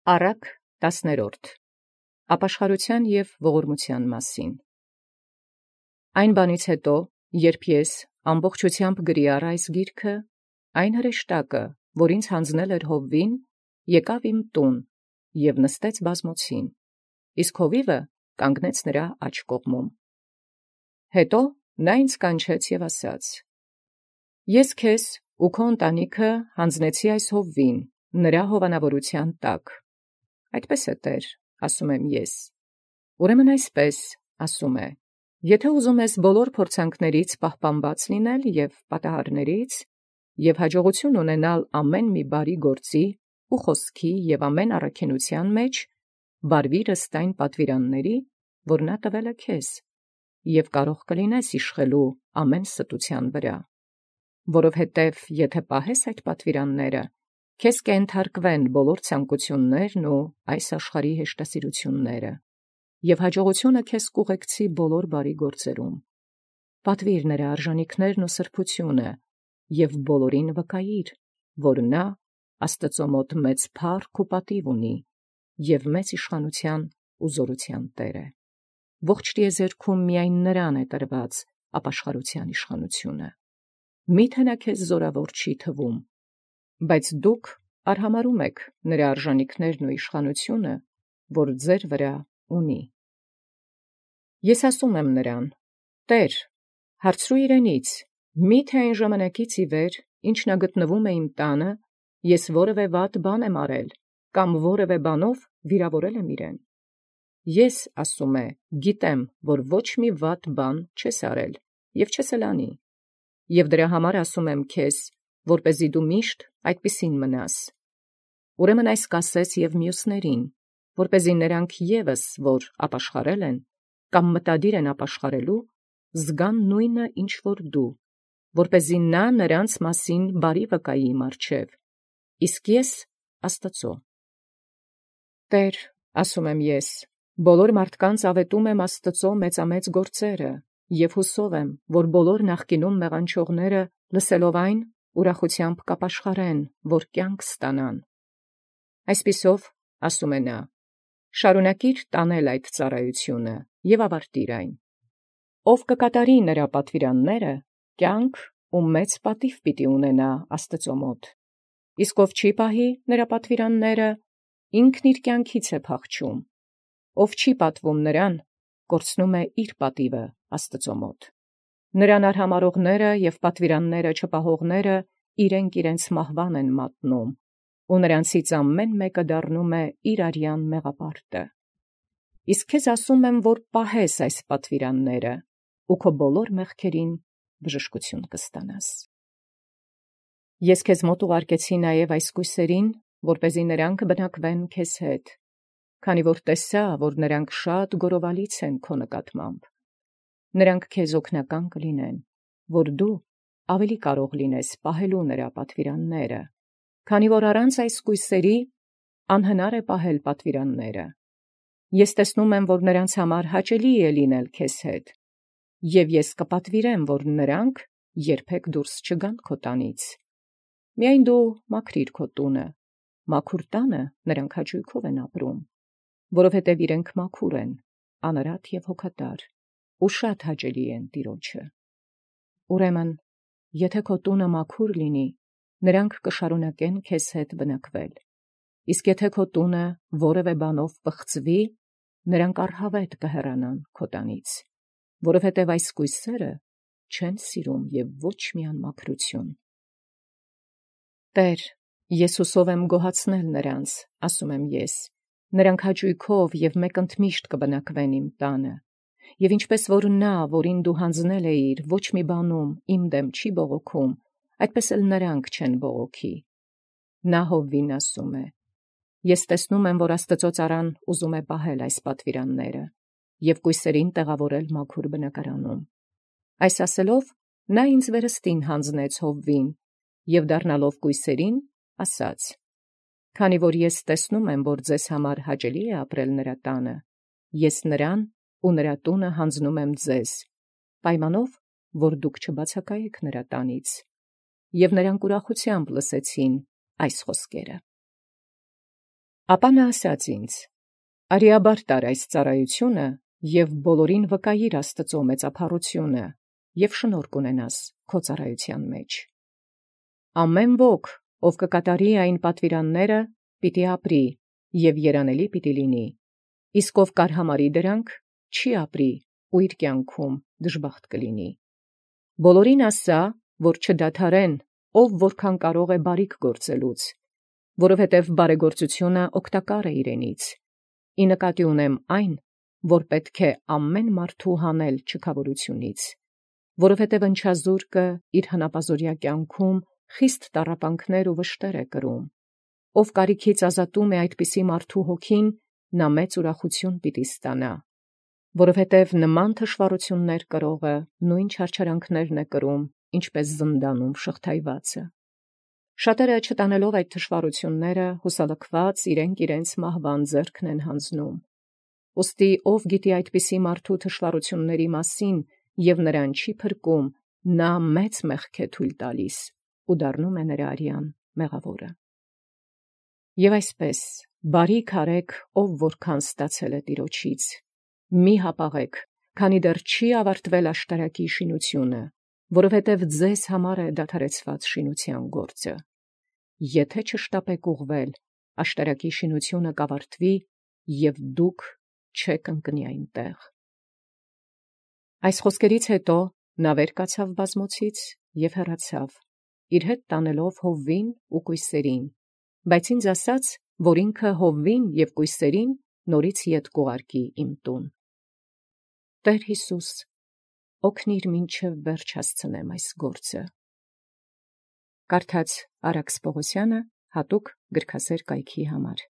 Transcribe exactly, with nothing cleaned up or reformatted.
Առակ տասներորդ. Ապաշխարութեան և ողորմութեան մասին։ Այն բանից յետո, երբ ես ամբողջութեամբ գրի առ այս գիրքը, այն հրեշտակը, որ ինձ յանձնել էր Յովվին, եկաւ իմ տուն և նստեց բազմոցին, իսկ հովիվը կանգնեց նրա աջ կողմում։ Հետո նա ինձ կանչեց և ասաց. «Ես քեզ ու քո ընտանիքը յանձնեցի այս Յովվին, նրա հովանավորութեան տակ»։ «Այդպես է, Տէր, ասում եմ ես։ Ուրեմն այսպես, ասում է. եթէ ուզում ես բոլոր փորձանքներից պահպանված լինել և պատահարներից, և հաջողություն ունենալ ամեն մի բարի գործի ու խոսքի և ամեն առաքինութեան մեջ, վարվիր ըստ այն պատվիրանների, որ նա տվել է քեզ, և կարող կլինես իշխելու ամեն ստութեան վրա. որովհետև եթէ պահես այդ պատվիրանները, քեզ կենթարկվեն բոլոր ցանկութիւններն ու այս աշխարհի հեշտասիրութիւնները, և հաջողությունը քեզ կուղեկցի բոլոր բարի գործերում։ Պատվիր նրա արժանիքներն ու սրբութիւնը, և բոլորին վկայիր, որ նա Աստուծոյ մոտ մեծ փառք ու պատիւ ունի, և մեծ իշխանութեան ու զօրութեան Տէր է։ Ողջ տիեզերքում միայն նրան է տրված ապաշխարութեան իշխանութիւնը։ Մի՛թե նա քեզ զօրավոր չի թվում, բայց դուք արհամարհում եք նրա արժանիքներն ու իշխանութիւնը, որ ձեր վրա ունի։ Ես ասում եմ նրան. «Տէր, հարցրու իրենից, մի՞թե այն ժամանակից ի վեր, ինչ նա գտնվում է իմ տանը, ես որևէ վատ բան եմ արել, կամ որևէ բանով վիրավորել եմ իրեն։ Ես, ասում է, գիտեմ, որ ոչ մի վատ բան չես արել և չես էլ անի. և դրա համար ասում եմ քեզ, որպեսզի դու միշտ այդպիսին մնաս։ Ուրեմն այս կասես և մյուսներին, որպեսզի նրանք ևս, որ ապաշխարել են, կամ մտադիր են ապաշխարելու, զգան նույնը, ինչ որ դու, որպեսզի նա նրանց մասին բարի վկայի իմ առջև, իսկ ես Աստուծոյ։ Տէր, ասում եմ ես, բոլոր մարդկանց աւետում եմ Աստուծոյ մեծամեծ գործերը, և յուսով եմ, որ բոլոր նախկինում մեղանչողները լսելով այն, ուրախութեամբ կապաշխարեն, որ կյանք ստանան։ Այսպիսով, ասում է նա, շարունակիր տանել այդ ծառայութիւնը և ավարտիր այն։ Ով կկատարի նրա պատվիրանները, կյանք ու մեծ պատիւ պիտի ունենա Աստուծոյ մոտ, իսկ ով չի պահի նրա պատվիրանները, ինքն իր կյանքից է փախչում, ով չի պատվում նրան, կորցնում է իր պատիւը Աստուծոյ մոտ։ Նրան արհամարհողները և պատվիրանները չպահողները իրենք իրենց մահուան են մատնում, ու նրանցից ամեն մեկը դառնում է իր արեան մեղապարտը։ Իսկ քեզ ասում եմ, որ պահես այս պատվիրանները, ու քո բոլոր մեղքերին բժշկութիւն կստանաս։ Ես քեզ մոտ ուղարկեցի նաև այս կույսերին, որպեսզի նրանք բնակվեն քեզ հետ, քանի որ տեսայ, որ նրանք շատ գովրալից են քո նկատմամբ։ Նրանք քեզ օգնական կլինեն, որ դու ավելի կարող լինես պահել նրա պատվիրանները, քանի որ առանց այս կույսերի անհնար է պահել պատվիրանները։ Ես տեսնում եմ, որ նրանց համար հաճելի է լինել քեզ հետ, և ես կպատվիրեմ, որ նրանք երբեք դուրս չգան քո տանից։ Միայն դու մաքրիր քո տունը, մաքուր տանը նրանք հաճոյքով են ապրում, որովհետև իրենք մաքուր են, անարատ և հոգատար, ու շատ հաճելի են Տեառնէ։ Ուրեմն, եթէ քո տունը մաքուր լինի, նրանք կշարունակեն քեզ հետ բնակվել, իսկ եթէ քո տունը որևէ բանով պղծվի, նրանք առհաւետ կհեռանան քո տանից, որովհետև այս կույսերը չեն սիրում և ոչ մի անմաքրութիւն։ Տէր, ես ուսով եմ գոհացնել նրանց, ասում եմ ես, նրանք հաճոյքով և մեկընդմիշտ կբնակվեն իմ տանը, և ինչպես որ նա, որին դու յանձնել էիր, ոչ մի բանում իմ դեմ չի բողոքում, այդպես էլ նրանք չեն բողոքի։ Նա Յովվին ասում է. «Ես տեսնում եմ, որ Աստուծոյ ծառան ուզում է պահել այս պատվիրանները և կույսերին տեղաւորել մաքուր բնակարանում»։ Այս ասելով, նա ինձ վերստին յանձնեց Յովվին, և դառնալով կույսերին, ասաց. «Քանի որ ես տեսնում եմ, որ ձեզ համար հաճելի է ապրել նրա տանը, ես նրան ու նրա տունը յանձնում եմ ձեզ, պայմանով, որ դուք չբացակայիք նրա տանից։ Եւ նրանք ուրախութեամբ լսեցին այս խոսքերը։ Ապա նա ասաց ինձ. «Արիաբար տար այս ծառայությունը և բոլորին վկայիր Աստուծոյ մեծափառութիւնը, և շնորհ կունենաս քո ծառայութեան մեջ։ Ամեն ոք, ով կկատարի այն պատուիրանները, պիտի ապրի և երանելի պիտի լինի, իսկ ով կարհամարի դրանք, չի ապրի ու իր կյանքում դժբախտ կլինի։ Բոլորին ասա, որ չդադարեն, ով որքան կարող է բարիք գործելուց, որովհետև բարեգործութիւնը օգտակար է իրենից, ի նկատի ունեմ այն, որ պետք է ամեն մարդու հանել չքավորութիւնից, որովհետև ընչազուրկը իր հնապազորյա կյանքում խիստ տառապանքներ ու վշտեր է կրում, ով կարիքից ազատում է այդպիսի մարդու հոգին, նա մեծ ուրախութիւն պիտի ստանա, որովհետև նման թշուառություններ կրողը նույն չարչարանքներն է կրում, ինչպէս զնդանում շղթայվածը։ Շատերը չտանելով այդ թշուառությունները, հուսալքված իրենք իրենց մահվան ձեռքն են հանձնում։ Ուստի ով գիտի այդպիսի մարդու թշուառությունների մասին և նրան չի փրկում, նա մեծ մեղք է թույլ տալիս ու դառնում է նրա արյան մեղաւորը։ Եւ այսպես բարիք արեք, ով որքան ստացել է Տիրոջից, մի հապաղեք, քանի դեռ չի ավարտվել աշտարակի շինութիւնը, որովհետև ձեզ համար է դադարեցված շինութեան գործը։ Եթե չշտապեք ուղղվել, աշտարակի շինութիւնը կավարտվի, և դուք չեք ընկնի այնտեղ։ Այս խոսքերից յետո նա վեր կացավ բազմոցից և հեռացավ, իր հետ տանելով Յովվին և կոյսերին, բայց ինձ ասաց, որ ինքը Յովվին և կոյսերին նորից ետ կուղարկի իմ տուն։ Տէր Յիսուս, օգնիր մինչև վերջ հասցնեմ այս գործը։ Կարդաց Արաքս Պողոսյանը հատուկ գրքասեր կայքի համար։